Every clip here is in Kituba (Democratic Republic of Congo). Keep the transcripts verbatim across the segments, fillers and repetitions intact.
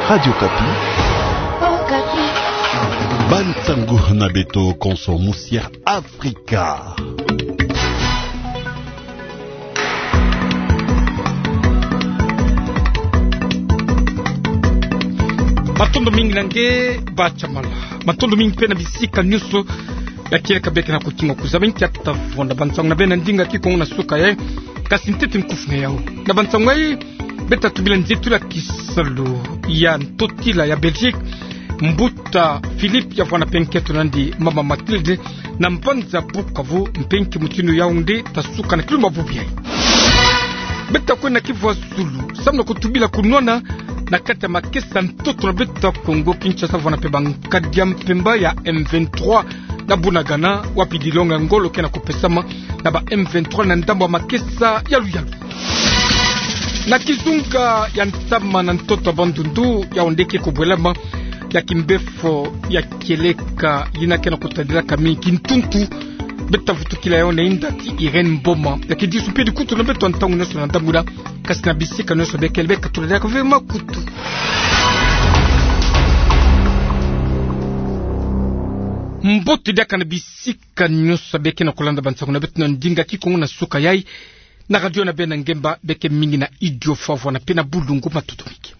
Radio Okapi. Okapi. Bansangu na beto konso musia Afrika. Matondo mingi na nge Bachamala. Matondo mingi mpe na bisika nyonso ya kieleka beke na kutinga kuzaba nkia tata vwanda bansangu na beno na ndinga Kikongo na suka yayi. Kasi ntete nkufi na yau. Na bansangu yayi, beta tubila nzietulu ya kisalu ya ntotila ya Belgique, mbuta Philippe ya vwanda mpe nkento na yandi mama Mathilde, na mbanza Bukavu, mpe nki mutindu Yaoundé ta suka na kilumbu bubu yayi. Beta kwenda na kivu ya zulu, samu na kutubila kunwana na kati ya makesa ntoto na beto ya Kongo Kinshasa, vwanda mpe bankadi ya mpemba ya M vingt-trois na Bunagana, wapi dilonga ya ngolo ke na kupesama na ba M vingt-trois na ndambu ya makesa ya luyalu. Na kizunga ya ntama na ntoto ya Bandundu, Yaoundé ke kubwelama ya kimbefo ya kieleka yina ke na kutadilaka mingi kintuntu. Beta vutukila yau na inda ti Irène Mboma. Ya kidisu mpe dikutulu na beto ya ntangu nyonso na ndambu yina, kasi na bisika nyonso bekele beka tula diaka ve makutu. Mbote diaka na bisika nyonso beke na kulanda bansangu na beto na ndinga Kikongo na suka yayi. Na radio na beno na ngemba beke mingi na Idiofa vwanda mpe na bulungu, matondo mingi.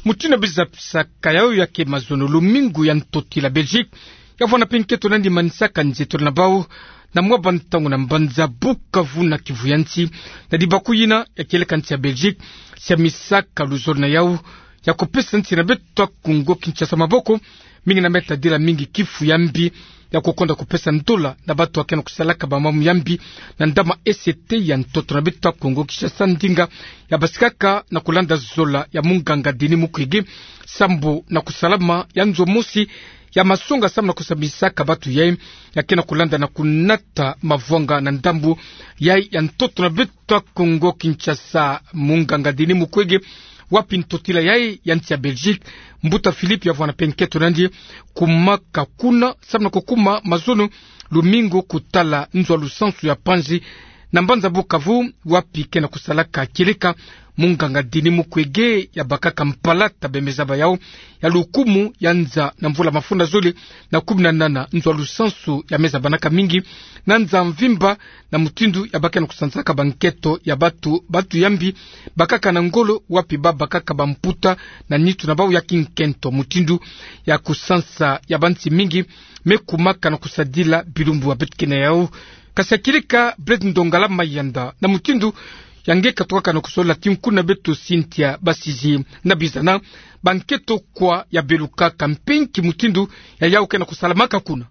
Mutindu ya bizabisaka yau ya ke mazono, lumingu ya ntotila Belgique ya vwanda mpe nkento na yandi manisaka nzietolo na bau na mwa bantangu na mbanza Bukavu na Kivu ya nsi, na dibaku yina ya kieleka nsi ya Belgique siamisaka luzolo na yau ya kupesa nsi na beto ya Kongo Kinshasa maboko, mingi na me tadila mingi kifu ya mbi ya kukonda kupesa ndola na bato ya ke na kusalaka bamambu ya mbi na ndama E C T ya ntoto na beto ya Kongo Kinshasa, ndinga ya basikaka na kulanda zola ya munganga Denis Mukwege, sambu na kusalama ya nzo mosi ya masonga samu na kusambisaka bato yayi ya ke na kulanda na kunata mavwanga na ndambu yayi ya ntoto na beto ya Kongo Kinshasa, munganga Denis Mukwege, wapi ntotila yayi ya nsi ya Belgique, mbuta Philippe ya vwanda mpe nkento na yandi, kumaka kuna samu na kukuma mazono lumingu kutala nzo ya lusansu ya panzi na mbanza Bukavu, wapi ke na kusalaka kieleka munganga Denis Mukwege ya bakaka mpalata bemezaba yau ya lukumu ya nza na mvula mafunda zole na kumi na nana. Nzo ya lusansu ya mezabanaka mingi na nza mvimba, na mutindu ya bake na kusansaka bankento ya bato, bato ya mbi bakaka na ngolo, wapi ba bakaka bamputa na nitu na bau ya kinkento. Mutindu ya kusansa ya bansi mingi me kumaka na kusadila bilumbu ya beto ke na yau. Kasi ya kieleka Blaise Ndongala Mayanda, na mutindu ya nge katukaka na kusolola ti nkuna beto Cynthia Basidie, na bizana bankento kwa ya belukaka, mpe nki mutindu ya yau ke na kusalamaka kuna.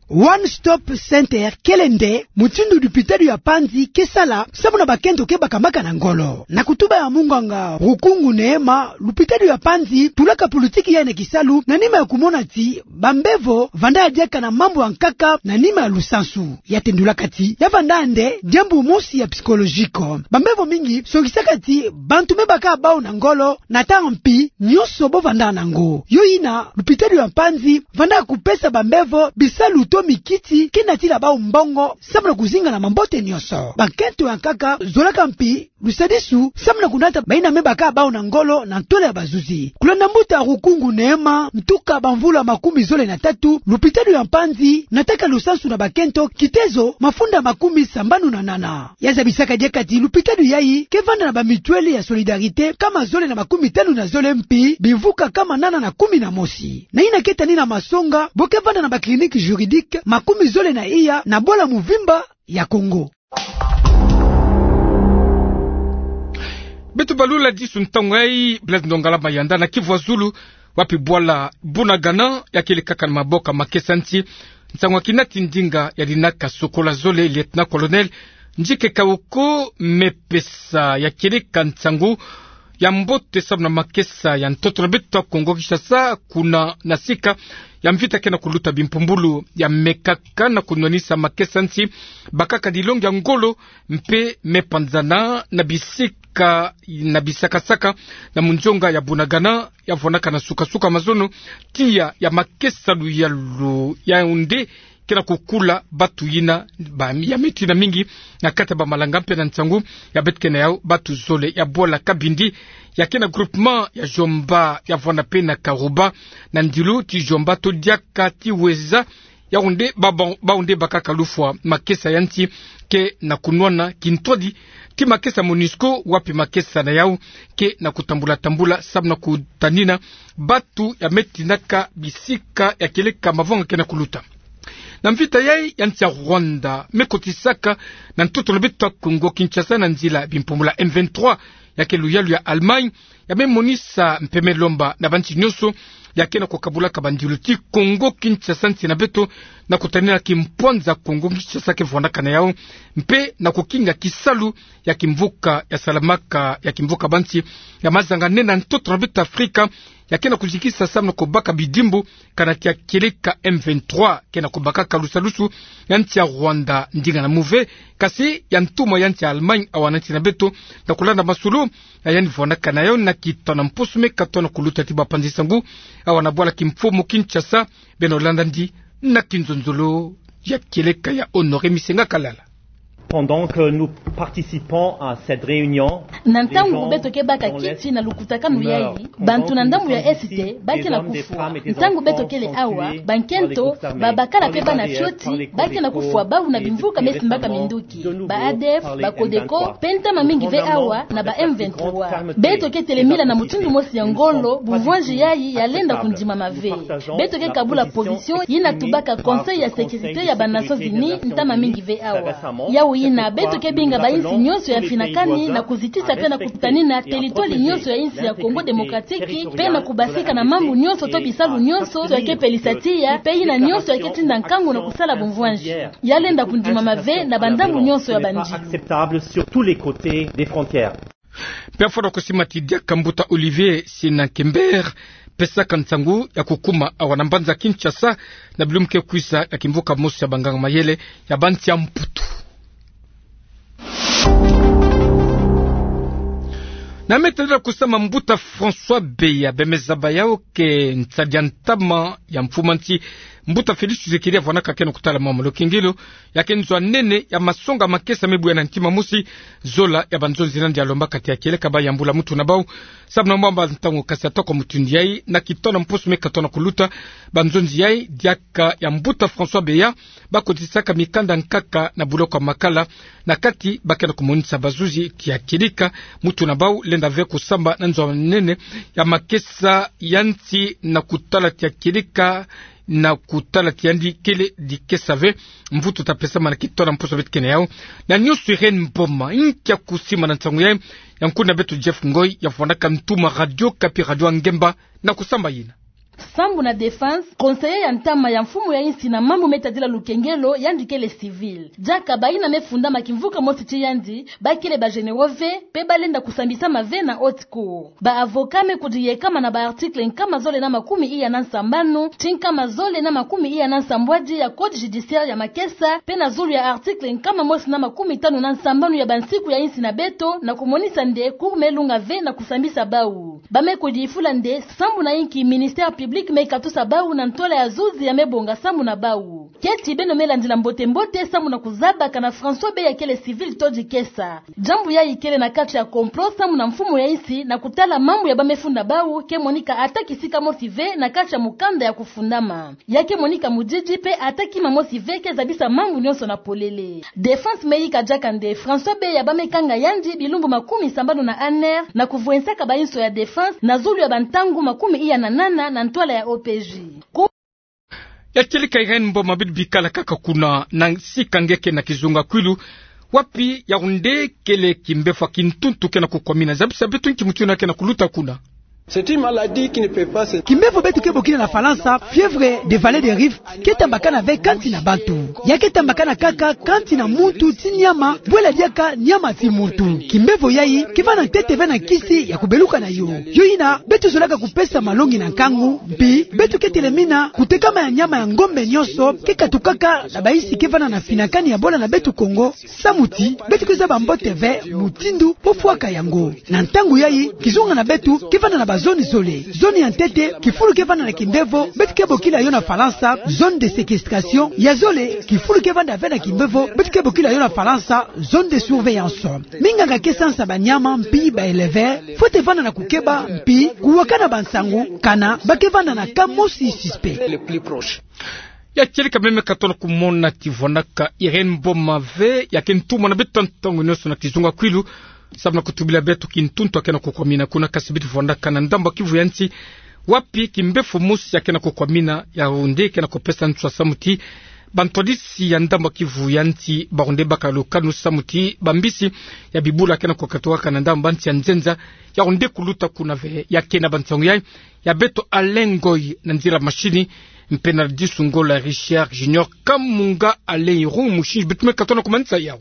One Stop Center kele nde mutindu lupitalu ya panzi ke sala samu na bakento ke bakamaka na ngolo. Na kutuba ya munganga Rukungu Neema, lupitalu ya panzi tulaka politiki yayi na kisalu na nima ya kumona ti bambevo vanda ya diaka na mambu ya nkaka na nima ya lusansu. Ya tendulaka ti ya vanda nde diambu mosi ya psychologique. Bambevo mingi songisaka ti bantu me baka bau na ngolo, na ntangu mpi nyonso bo vanda na ngo. Yo yina lupitalu ya panzi vanda kupesa bambevo bisalu to mikiti ke natila bau mbongo samu na kuzinga na mambote nyonso. Bankento ya nkaka zolaka mpi lusadisu samu na kunata bayina me baka bau na ngolo na ntwala ya bazuzi. Kulanda mbuta Rukungu Neema, ntuka bamvula makumi zole na tatu, lupitalu ya panzi nataka lusansu na bakento kitezo mafunda makumi sambanu na nana. Ya zabisaka diaka ti lupitalu yayi ke vanda na ba mutuelle ya Solidarité kama zole na makumi tanu na zole, mpi bimvuka kama nana na kumi na mosi. Na yina ke tanina masonga, bo ke vanda na ba clinique juridique makumi zole na iya na bwala muvimba ya Kongo. Beto balula disu ntangu yayi Blaise Ndongala Mayanda na Kivu ya Zulu, wapi bwala Bunagana ya kielekaka na maboko ya makesa nsi. Nsangu ya kinati ndinga ya dinaka sokola zole, lieutenant-colonel Njike Kawoko, me pesa ya kieleka nsangu ya mbote samu na makesa ya ntoto na beto ya Kongo Kinshasa, kuna na sika ya mvita ke na kuluta bimpumbulu. Ya mekaka na kunwanisa makesa nsi, bakaka dilongi ya ngolo, mpe me panzana na bisika, na bisakasaka na munzonga ya Bunagana, ya vonaka na suka-suka mazono, tiya ya makesa luyalu ya Yaoundé ke na kukula batu yina ba, ya me tina mingi na kati ya bamalanga mpe na nsangu ya beto ke na yau, batu zole ya bwala Kabindi, ya ke na groupement ya Djomba, ya vwanda mpe na Karouba, na ndilu ti Djomba to diaka ti Ouéza, yau nde ba, ba, bau nde bakaka lufwa makesa ya nsi ke na kunwana kintwadi ti makesa MONUSCO, wapi makesa na yau ke na kutambula-tambula samu na kutanina batu ya me tinaka bisika ya kieleka mavanga ke na kuluta. Na mvita yai ya nsi ya Rwanda me kotisaka na ntoto na beto ya Congo Kinshasa na nzila bimpumbu ya M vingt-trois, ya ke luyalu ya Allemagne, ya me monisa mpe me lomba na bansi nyonso ya ke na kukabulaka bandilu ti Congo Kinshasa nsi na beto, na kutanina kimpwanza Congo Kinshasa ke vwandaka na yau, mpe na kukinga kisalu ya kimvuka ya salamaka, ya kimvuka bansi ya mazanga nene na ntoto na beto Afrika, ya ke na kuzikisa samu na kubaka bidimbu kana tia kieleka M vingt-trois ke na kubaka kalusalusu ya nsi ya Rwanda ndinga na muve, kasi ya ntuma ya nsi ya Allemagne awa na nsi na beto, na kulanda masolo ya yandi vwandaka na yau na kitona mposo me katona kuluta ti bapanzi nsangu awa na bwala kimfumu Kinshasa. Beno landa ndi na kinzonzolo ya kieleka ya Honoré Misenga Kalala. Pendant que nous participons à cette réunion, na ntangu beto ke baka kiti na lukutakanu yai, bantu na ndambu ya Est ba ke na kufwa. Ntangu beto kele awa, bankento, babakala mpe bana fioti ba ke na kufwa bau na bimvuka me simbaka minduki, ba ADF, ba Codeco, mpe ntama mingi ve awa na ba M vingt-trois. Beto ke telemila na mutindu mosi ya ngolo bumvwanzi yai ya lenda kundimama ve. Beto ke kabula position yina tubaka Conseil ya Sécurité ya ba Nations Unies ntama mingi ve awa. Yau yina, beto ke binga bayinsi nyonso ya finakani na kuzitisa mpe na kutanina territoire nyonso ya yinsi ya Congo Démocratique, mpe na kubasika na mambu nyonso to bisalu nyonso ya ke pelisa tiya, mpe yina nyonso ya ke tinda nkangu na kusala bumvwanzi, ya lenda kundimama ve na bandambu nyonso ya bandilu. Acceptable sur tous les côtés des frontières. Mpe afwana kusimati diaka mbuta Olivier Sina Kember, pesaka nsangu ya kukuma awa na mbanza Kinshasa na bilumbu ke kwiza ya kimvuka mosi ya banganga mayele ya bansi ya Mputu. Na me tadila kusama mbuta François Beya, bemeza ba yau ke nsadi ya ntama ya mfumu a nsi, mbuta Félix Tshisekedi avwanaka ke na kutala mama lukengelo, ya ke nzo ya nene ya masonga makesa me buya na ntima mosi, zola ya banzonzi nandi alombaka ti ya kieleka ba yambula mutu na bau, samu na mwa bantangu, kasi ata kwa mutindu yai, na kitona mposo me katona kuluta, banzonzi yai diaka ya mbuta François Beya, ba kotisaka mikanda nkaka na buloko ya makala, na kati ba ke na kumonisa bazuzi ti ya kieleka, mutu na bau lenda ve kusamba na nzo ya nene ya makesa ya nsi na kutala ti ya kieleka, na kutala ti yandi kele dikesa ve. Mvutu ta pesama na kitona mposo beto ke na yau. Na nyonso Irène Mboma, nkia kusima na nsangu yai, ya nkuna beto Jeff Ngoy, ya vwandaka ntuma Radio Okapi, Radio ya ngemba, na kusamba yina. Sambu na défense, conseiller ya ntama ya mfumu ya insi na mambu me tadila lukengelo, yandi kele civil. Diaka bayina me fundama kimvuka mosi ti yandi, ba kele ba généraux ve, mpe ba lenda kusambisama ve na haute cour. Ba avocat me kudiyekama na ba article nkama zole na makumi iya na nsambanu, ti nkama zole na makumi iya na nsambwadi ya code judiciaire ya makesa, mpe na zulu ya article nkama mosi na makumi tanu na nsambanu ya bansiku ya insi na beto, na kumonisa nde cour me lunga ve na kusambisa bau. Ba me kudifula nde sambu na inki ministère public me katusa bau na ntwala ya zuzi ya me bonga sambu na bau. Keti beno me landila mbote-mbote sambu na kuzaba kana François Beya kele civil to dikesa. Diambu yayi kele na kati ya complot sambu na mfumu ya insi na kutala mambu ya ba me funda bau ke monika ata kisika mosi ve na kati ya mukanda ya kufundama. Ya ke monika mudidi mpe ata kima mosi ve ke zabisa mambu nyonso na polele. Défense me yika diaka nde François Beya ba me kanga yandi bilumbu makumi sambanu na nne na kuvwensaka bayinso ya défense na zulu ya bantangu makumi iya na nana na ntwala ya O P J. Ku- Ya kieleka Irène Mboma, bidi bikala kaka kuna, na sika nge ke na kizunga kwilu, wapi Yaoundé kele kimbevo ya kintuntu ke na kukwamina? Zabisa beto nki mutindu ke na kuluta kuna. C'est une maladie qui ne peut pas se... Kimbevo beto ke bokila na Falansa fièvre de vallée des rives, ke tambakana ve kansi na bantu. Ya ke tambakana kaka kansi na muntu ti nyama, bwela diaka nyama ti muntu. Kimbevo yayi ke vanda ntete ve na nkisi ya kubeluka na yo. Yo yina, beto zolaka kupesa malongi na nkangu, mpi beto ke telemina kutekama ya nyama ya ngombe nyonso ke katukaka na bayinsi ke vanda na finakani ya bola na beto Kongo, samu ti beto ke zaba mbote ve mutindu po fwaka yango. Na ntangu yayi, kizunga na beto ke vanda na ba zone zole. Zone ya ntete, kifulu ke vanda na kimbevo, beto ke bokila yo na Falansa zone de séquestration. Ya zole, kifulu ke vanda ve na kimbevo, beto ke bokila yo na Falansa zone de surveillance. Minganga ke sansa banyama mpi ba éleveurs, fwete vanda na kukeba mpi kuwakana bansangu kana ba ke vanda na cas mosi suspect. Ya kieleka meme ka tona kumona ti vwandaka Irène Mboma ve, ya ke ntumwa na beto ntangu nyonso na kizunga kwilu, samu na kutubila beto kintuntu ya ke na kukwamina kuna. Kasi beto vwandaka na ndambu ya Kivu ya nsi, wapi kimbefo mosi ya ke na kukwamina, yawu nde ke na kupesa nswa samu ti bantwadisi ya ndambu ya Kivu ya nsi bawu nde baka lukanu samu ti bambisi ya bibula ya ke na kukatukaka na ndambu ya nsi ya nzenza, yawu nde kuluta kuna ve. Ya ke na bansangu yayi, ya beto Alain Ngoy na nzila mashini, mpe na Disu Ngola Richard Junior Kamunga. Alain Irung, mosingi beto me ka tona kumanisa yawu.